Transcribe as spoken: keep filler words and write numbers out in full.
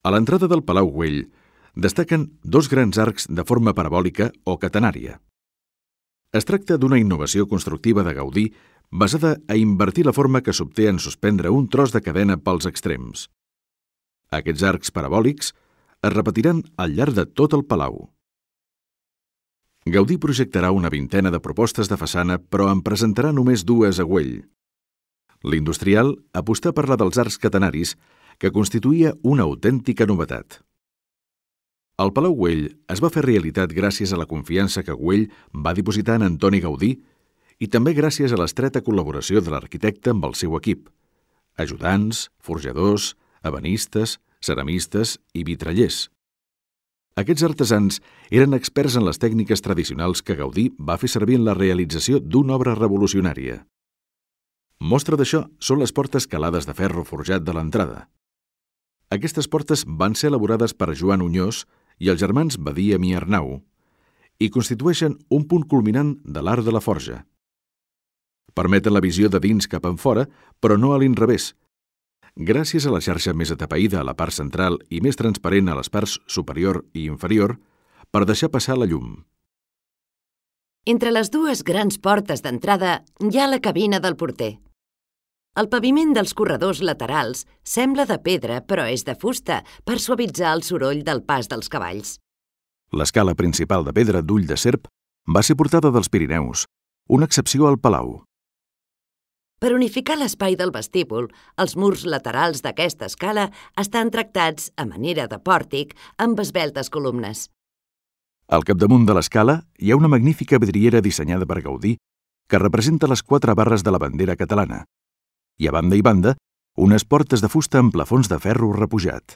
A l'entrada del Palau Güell destaquen dos grans arcs de forma parabòlica o catenària. Es tracta d'una innovació constructiva de Gaudí basada a invertir la forma que s'obté en suspendre un tros de cadena pels extrems. Aquests arcs parabòlics es repetiran al llarg de tot el palau. Gaudí projectarà una vintena de propostes de façana, però en presentarà només dues a Güell. L'industrial apostà per la dels arcs catenaris, que constituïa una autèntica novetat. El Palau Güell es va fer realitat gràcies a la confiança que Güell va dipositar en Antoni Gaudí i també gràcies a l'estreta col·laboració de l'arquitecte amb el seu equip, ajudants, forjadors, ebenistes, ceramistes i vitrallers. Aquests artesans eren experts en les tècniques tradicionals que Gaudí va fer servir en la realització d'una obra revolucionària. Mostra d'això són les portes calades de ferro forjat de l'entrada. Aquestes portes van ser elaborades per Joan Oñós i els germans Badia i Arnau i constitueixen un punt culminant de l'art de la forja. Permeten la visió de dins cap enfora, però no a l'inrevés, gràcies a la xarxa més atapeïda a la part central i més transparent a les parts superior i inferior per deixar passar la llum. Entre les dues grans portes d'entrada hi ha la cabina del porter. El paviment dels corredors laterals sembla de pedra, però és de fusta per suavitzar el soroll del pas dels cavalls. L'escala principal de pedra d'ull de serp va ser portada dels Pirineus, una excepció al palau. Per unificar l'espai del vestíbul, els murs laterals d'aquesta escala estan tractats a manera de pòrtic amb esveltes columnes. Al capdamunt de l'escala hi ha una magnífica vidriera dissenyada per Gaudí que representa les quatre barres de la bandera catalana i a banda i banda unes portes de fusta amb plafons de ferro repujat.